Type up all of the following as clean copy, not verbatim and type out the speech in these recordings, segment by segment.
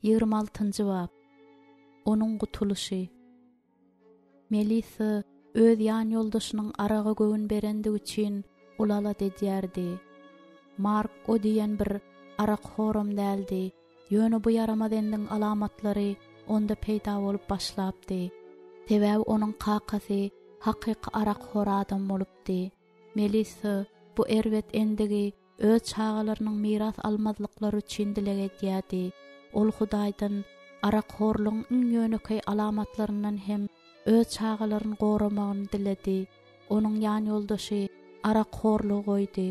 26-njy bap. Onuň gutulyşy. Melissa öz ýanýoldaşynyň araga göwün berendigi üçin uly alada edýärdi. Mark o diýen bir arakhoram däldi, ýöne bu ýaramaz endigiň alamatlary onda peýda bolup başlapdy. Sebäbi onuň kakasy hakyky arakhor adam bolupdy. Melissa bu erbet endigi öz çagalarynyň miras almazlyklary üçin dileg edýärdi. Ol Hudaýdan arakhorlugyň iň ýönekeý alamatlaryndan hem öz çagalaryny goramagyny diledi. Onuň ýanýoldaşy arakhorlugy goýdy.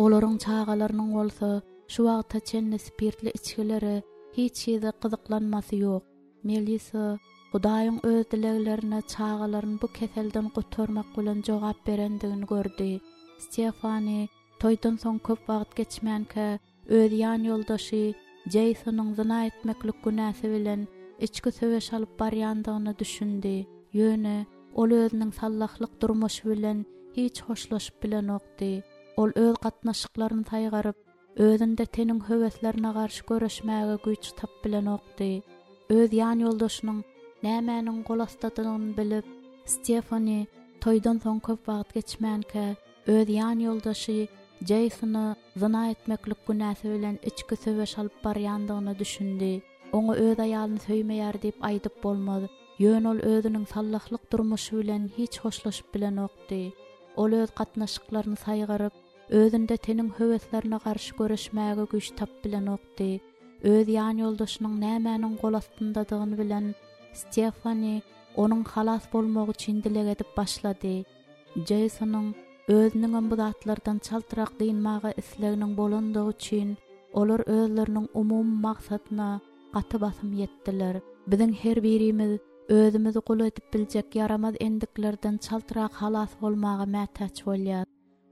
Olaryň çagalarynyň bolsa şu wagta çenli spirtli içgilere hiç hili gyzyklanmasy ýok. Melisa Hudaýyň öz dileglerine çagalaryny bu keselden gutarmak bilen jogap berendigini gördi. Stefani toýdan soň köp wagt geçmänkä öz ýanýoldaşy Jeýsonyň zyna etmeklik günäsi bilen içki söweş alyp barýandygyna düşündi. Ýöne ol özüniň sallahlyk durmuşy bilen hiç hoşlaşyp bilenokdy. Ol öz gatnaşyklaryny saýgaryp, Özünde teniň höweslerine garşy göreşmäge güýç tapyp bilenokdy. Öz ýanýoldaşynyň nämäniň golastydygyny bilip, Stefani toýdan soň köp wagt geçmänkä, öz ýanýoldaşy Jeýsona zyna etmeklik günäsi bilen içki söweş alyp barýandygyna düşündi. Oňa öz aýalyny söýmeýär diýip aýdyp bolmaz, ýöne ol özüniň sallahlyk durmuşy bilen hiç hoşlaşyp bilenokdy. Ol öz gatnaşyklaryny saýgaryp, Özünde teniň höweslerine garşy göreşmäge güýç tapyp bilenokdy. Öz ýanýoldaşynyň nämäniň gol astyndadygyny bilen Stefani onuň halas bolmagy üçin dileg edip başlady. Jeýsonyň özüniňem bu zatlardan çaltrak dynmaga isleginiň bolandygy üçin olar özleriniň umumy maksadyna gaty basym ýetdiler. Biziň her birimiz özümizi gul edip biljek ýaramaz endiklerden çaltrak halas bolmaga mätäç bolýar.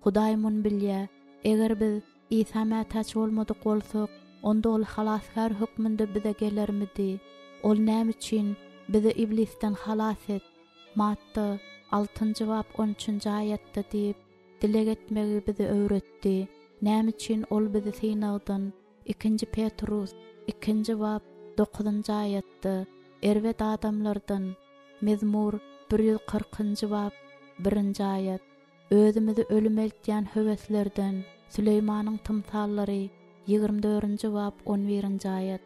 Hudaý muny bilýär. Eger biz Isa mätäç bolmadyk bolsak, onda Ol Halasgär hökmünde bize gelermidi? Ol näme üçin, Bizi iblisden halas et, Matta, altynjy bap, on üçünji aýatda diýip, dileg etmegi bize öwretdi? Näme üçin Ol bizi synagdan, Ikinji Petrus, ikinji bap, dokuzynjy aýatda, erbet adamlardan, Mezmur, bir ýüz kyrkynjy bap, birinji aýat, Özümizi ölüme eltýän höweslerden, Süleýmanyň tymsallary, ýigrimi dördünji bap, on birinji aýat,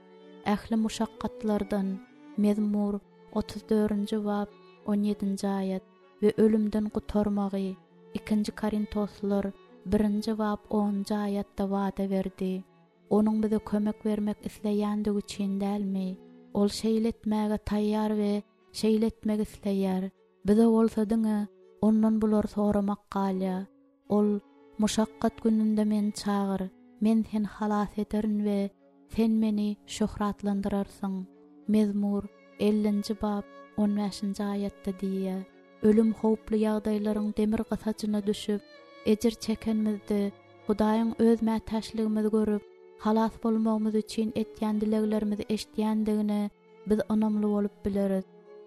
ähli muşakgatlardan, Mezmur, otuz dördünji bap, on ýedinji aýat, we ölümden gutarmagy, Ikinji Korintoslylar, birinji bap, onunjy aýatda wada berdi. Onuň bize kömek bermek isleýändigi üçin dälmi? Ol şeýle etmäge taýýar we şeýle etmek isleýär. Bize bolsa diňe Ondan bulary soramak galýar. Ol, Muşakgat gününde Meni çagyr, Men seni halas ederin we sen Meni şöhratlandyrarsyň. Mezmur, ellinji bap, on bäşinji aýatda diýýär. Ölüm howply ýagdaýlaryň demir gysajyna düşüp, ejir çekenimizde, Hudaýyň öz mätäçligimizi görüp, halas bolmagymyz üçin etýän dileglerimizi eşidýändigine biz ynamly bolup bileris.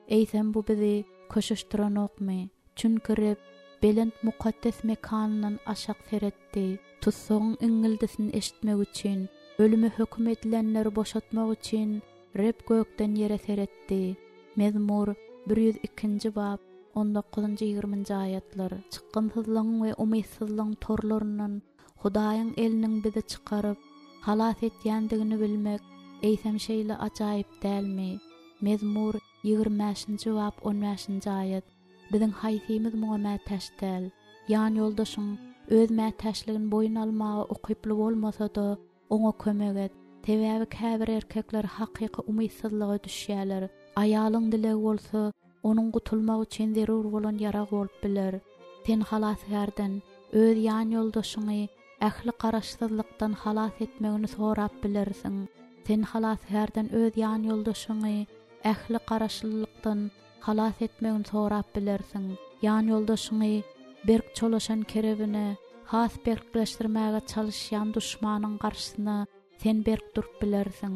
Eýsem bu bizi köşeşdirenokmy? Çünki Reb belent mukaddes mekanyndan aşak seretdi, tussagyň iňňildisini eşitmek üçin, ölüme höküm edilenleri boşatmak üçin Reb gökden ýere seretdi. Mezmur, bir ýüz ikinji bap, on dokuzynjy, ýigriminji aýatlar. Çykgynsyzlygyň we umytsyzlygyň torlaryndan Hudaýyň eliniň bizi çykaryp, halas etýändigini bilmek, eýsem şeýle ajaýyp dälmi? Mezmur, ýigrimi bäşinji bap, on bäşinji aýat. Biziň haýsymyz muňa mätäç däl? Ýanýoldaşyň öz mätäçligini boýun almaga ukyply bolmasa-da, oňa kömek et. Sebäbi käbir erkekler hakyky umytsyzlyga düşýärler. Aýalyň dilegi bolsa, onuň gutulmagy üçin zerur bolan ýarag bolup biler. Sen Halasgärden öz ýanýoldaşyňy ähli garaşsyzlykdan halas etmegini sorap bilersiň. Sen Halasgärden öz ýanýoldaşyňy ähli garaşlylykdan halas etmegini sorap bilersiň. Ýanýoldaşyňy berk çolaşan kerebine has berkleşdirmäge çalyşýan duşmanyň garşysyna sen berk durup bilersiň.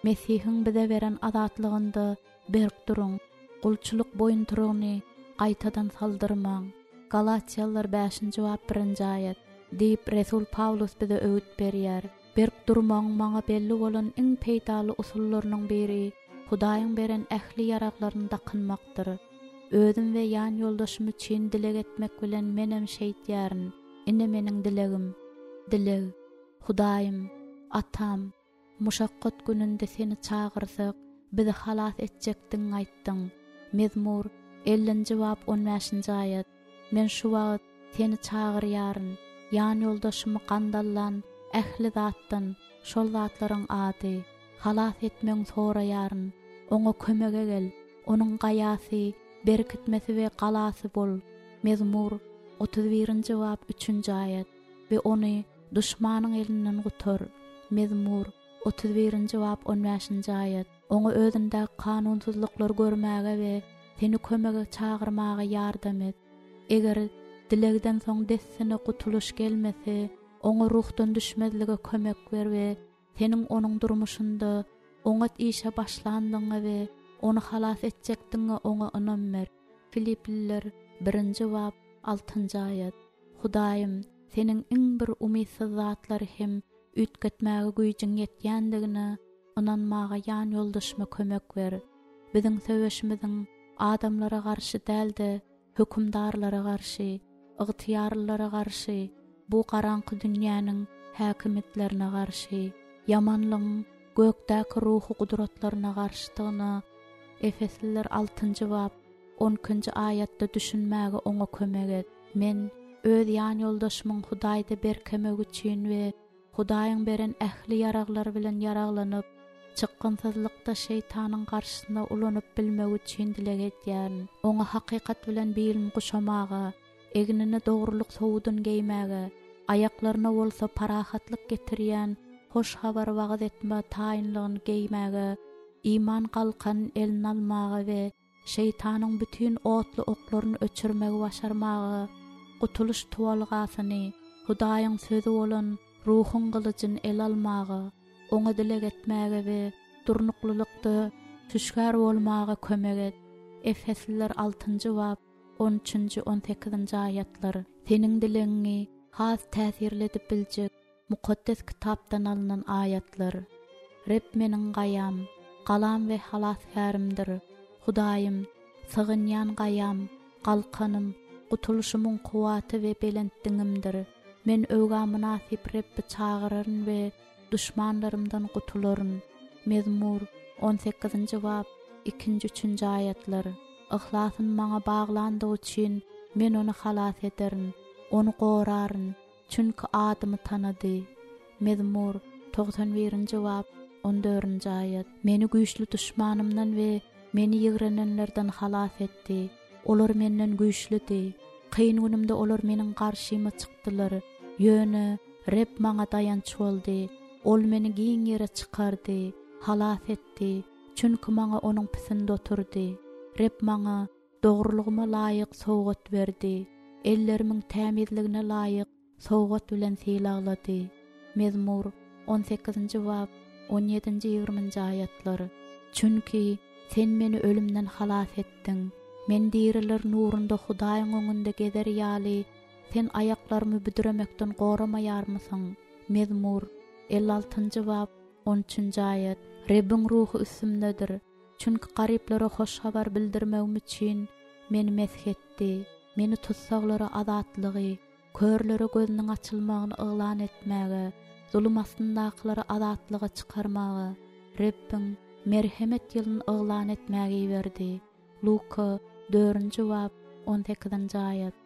Mesihiň bize beren azatlygynda berk duruň, gulçulyk boýuntyrygyny gaýtadan saldyrmaň. Galatýalylar bäşinji bap birinji aýat, diýip, resul Pawlus bize öwüt berýär. Berk durmagyň maňa belli bolan iň peýdaly usullarynyň biri Hudaýyň beren ähli ýaraglaryny dakynmakdyr. Özüm we ýanýoldaşym üçin dileg etmek bilen menem şeýtýärin. Ine meniň dilegim. Dileg, Hudaýym, Atam, muşakgat gününde Seni çagyrsak, bizi halas etjekdigiňi aýtdyň. Mezmur, ellinji bap, on bäşinji aýat. Men şu wagt Seni çagyrýaryn, ýanýoldaşymy gandallan ähli zatdan, şol zatlaryň ady, halas etmegiňi soraýaryn. Oňa kömege gel, onuň gaýasy, berkitmesi we galasy bol. Mezmur, 31-nji bap, üçünji aýat, we ony duşmanyň elinden gutar. Mezmur, 31-nji bap, on bäşinji aýat. Oňa özündäki kanunsyzlyklary görmäge we Seni kömege çagyrmaga ýardam et. Eger dilegden soň dessine gutulyş gelmese, oňa ruhdan düşmezlige kömek ber we Seniň onuň durmuşynda oňat işe başlandygyňa we ony halas etjekdigiňe oňa ynam ber. Filipliler, birinji bap, altynjy aýat. Hudaýym, Seniň iň bir umytsyz zatlary hem üýtgetmäge güýjüň ýetýändigine ynanmaga ýanýoldaşyma kömek ber. Biziň söweşimiziň adamlara garşy däl-de, hökümdarlara garşy, ygtyýarlylara garşy, bu garaňky dünýäniň häkimiýetlerine garşy, ýamanlygyň gökdäki ruhy gudratlaryna garşydygyna Efesliler altynjy bap, on ikinji aýatda düşünmäge oňa kömek et. Men öz ýanýoldaşymyň Hudaýda berkemegi üçin we Hudaýyň beren ähli ýaraglary bilen ýaraglanyp, çykgynsyzlykda şeýtanyň garşysyna ulanyp bilmegi üçin dileg edýärin. Oňa hakykat bilen bilini guşamaga, egnine dogrulyk sowudyny geýmäge, aýaklaryna bolsa parahatlyk getirýän hoş habary wagyz etme taýynlygyny geýmäge, iman galkanyny eline almaga we Şeýtanyň bütin otly oklaryny öçürmegi başarmaga, gutulyş tuwalgasyny, Hudaýyň Sözi bolan Ruhuň gylyjyny ele almaga, Oňa dileg etmäge we durnuklylykda hüşgär bolmaga kömek et. Efesliler altynjy bap, on üçünji, on sekizinji aýatlar. Seniň dilegiňi has täsirli edip biljek Mukaddes Kitapdan alnan aýatlar. Reb meniň gaýam, galam we halasgärimdir. Hudaýym, sygynýan gaýam, galkanym, gutulyşymyň kuwwaty we belent diňimdir. Men öwgä mynasyp Rebbi çagyraryn we duşmanlarymdan gutularyn. Mezmur, on sekizinji bap, ikinji, üçünji aýatlar. Yhlasyny maňa baglandygy üçin men ony halas ederin, ony goraryn. Çünki adymy tanady. Mezmur, 91-nji bap, on dördünji aýat. Meni güýçli duşmanymdan we meni ýigrenenlerden halas etdi. Olar menden güýçlüdi. Kyn günümde olar meniň garşyma çykdylar. Ýöne Reb maňa daýanç boldy. Ol meni giň ýere çykardy, halas etdi, çünki maňa Onuň pisindi oturdy. Reb maňa Dogrulygyma laýyk sowgat berdi, ellerimiň tämizligine laýyk sowgat bilen sylaglady. Mezmur, on sekizinji bap, on ýedinji, ýigriminji aýatlar. Çünki Sen meni ölümden halas etdiň, men diriler nurunda Hudaýyň öňünde gezer ýaly, Sen aýaklarymy büdremekden goramaýarmysyň? Mezmur, 56-njy bap, on üçünji aýat. Rebbiň Ruhy üstümdedir, Çünki garyplara hoş habar bildirmegim üçin meni mesh etdi, meni tussaglara azatlygy, körlere gözüniň açylmagyny yglan etmäge, zulum astyndakylary azatlyga çykarmaga, Rebbiň merhemet ýylyny yglan etmäge iberdi. Luka, dördünji bap, on sekizinji aýat.